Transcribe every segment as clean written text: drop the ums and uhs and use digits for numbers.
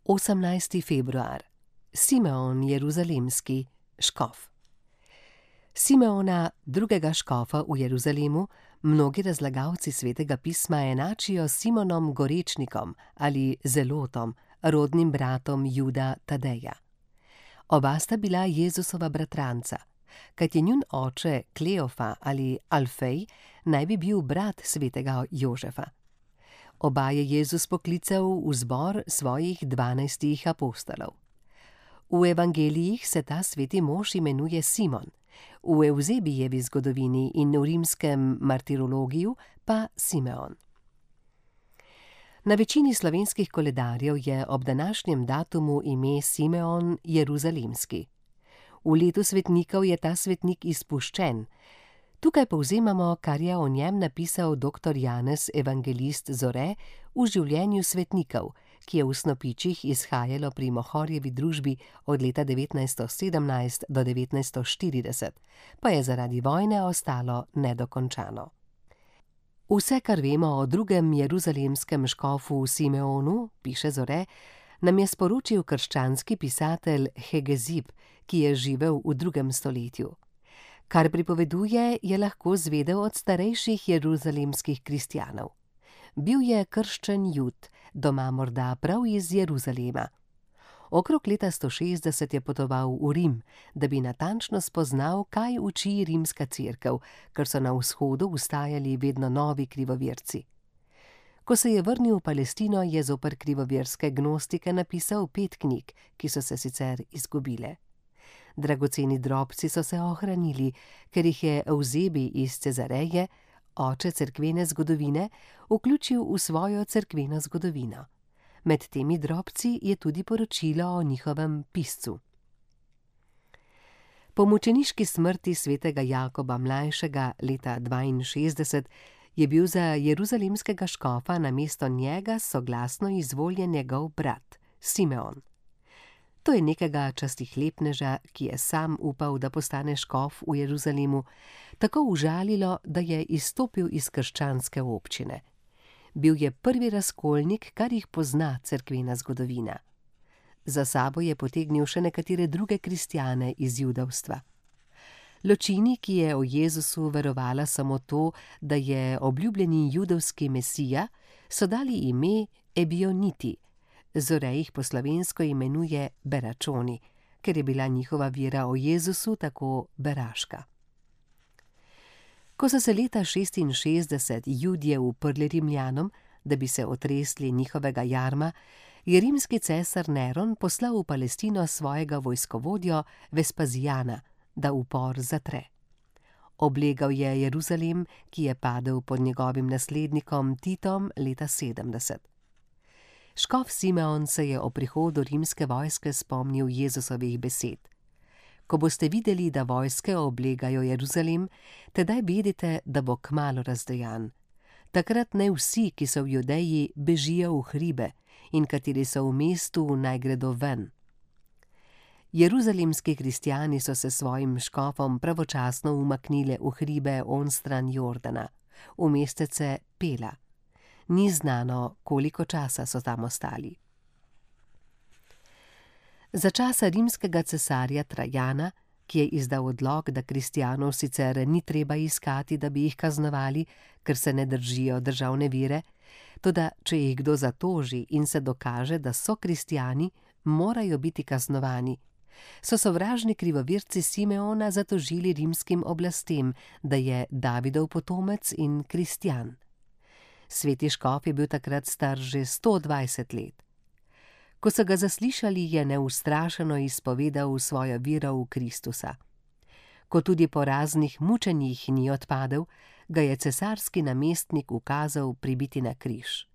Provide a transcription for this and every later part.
18. februar. Simeon Jeruzalemski, škof. Simeona, drugega škofa v Jeruzalemu, mnogi razlagalci Svetega pisma enačijo s Simonom Gorečnikom ali Zelotom, rodnim bratom Juda Tadeja. Oba sta bila Jezusova bratranca, kajti njun oče Kleofa ali Alfej naj bi bil brat svetega Jožefa. Oba je Jezus poklical v zbor svojih 12 apostolov. V evangelijih se ta sveti mož imenuje Simon, v Evzebijevi zgodovini in v rimskem martirologiju pa Simeon. Na večini slovenskih koledarjev je ob današnjem datumu ime Simeon Jeruzalemski. V letu svetnikov je ta svetnik izpuščen. Tukaj povzemamo, kar je o njem napisal dr. Janez Evangelist Zore v življenju svetnikov, ki je v Snopičih izhajalo pri Mohorjevi družbi od leta 1917 do 1940, pa je zaradi vojne ostalo nedokončano. Vse, kar vemo o drugem jeruzalemskem škofu Simeonu, piše Zore, nam je sporočil krščanski pisatelj Hegezib, ki je živel v 2. stoletju. Kar pripoveduje, je lahko zvedel od starejših jeruzalemskih kristjanov. Bil je krščen Jud, doma morda prav iz Jeruzalema. Okrog leta 160 je potoval v Rim, da bi natančno spoznal, kaj uči rimska cerkev, ker so na vzhodu vstajali vedno novi krivoverci. Ko se je vrnil v Palestino, je zoper krivoverske gnostike napisal 5 knjig, ki so se sicer izgubile. Dragoceni drobci so se ohranili, ker jih je Evzebij iz Cezareje, oče cerkvene zgodovine, vključil v svojo cerkveno zgodovino. Med temi drobci je tudi poročilo o njihovem piscu. Po mučeniški smrti svetega Jakoba mlajšega leta 62 je bil za jeruzalemskega škofa namesto njega soglasno izvoljen njegov brat Simeon. To je nekega častihlepneža, ki je sam upal, da postane škof v Jeruzalemu, tako užalilo, da je izstopil iz krščanske občine. Bil je prvi razkolnik, kar jih pozna cerkvena zgodovina. Za sabo je potegnil še nekatere druge kristjane iz judovstva. Ločini, ki je o Jezusu verovala samo to, da je obljubljeni judovski mesija, so dali ime Ebioniti. Zore jih po slovensko imenuje Beračoni, ker je bila njihova vera o Jezusu tako beraška. Ko so se leta 66 Judje uprli Rimljanom, da bi se otresli njihovega jarma, je rimski cesar Neron poslal v Palestino svojega vojskovodjo Vespazijana, da upor zatre. Oblegal je Jeruzalem, ki je padel pod njegovim naslednikom Titom leta 70. Škof Simeon se je o prihodu rimske vojske spomnil Jezusovih besed. Ko boste videli, da vojske oblegajo Jeruzalem, tedaj vedite, da bo kmalu razdejan. Takrat naj vsi, ki so v Judeji, bežijo v hribe in kateri so v mestu, naj gredo ven. Jeruzalemski kristjani so se svojim škofom pravočasno umaknili v hribe onstran Jordana, v mestece Pela. Ni znano, koliko časa so tam ostali. Za časa rimskega cesarja Trajana, ki je izdal odlok, da kristjanov sicer ni treba iskati, da bi jih kaznovali, ker se ne držijo državne vere, toda če jih kdo zatoži in se dokaže, da so kristjani, morajo biti kaznovani, so sovražni krivoverci Simeona zatožili rimskim oblastem, da je Davidov potomec in kristjan. Sveti škof je bil takrat star že 120 let. Ko so ga zaslišali, je neustrašeno izpovedal svojo vero v Kristusa. Ko tudi po raznih mučenjih ni odpadel, ga je cesarski namestnik ukazal pribiti na križ.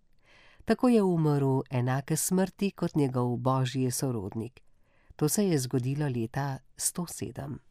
Tako je umrl enake smrti kot njegov božji sorodnik. To se je zgodilo leta 107.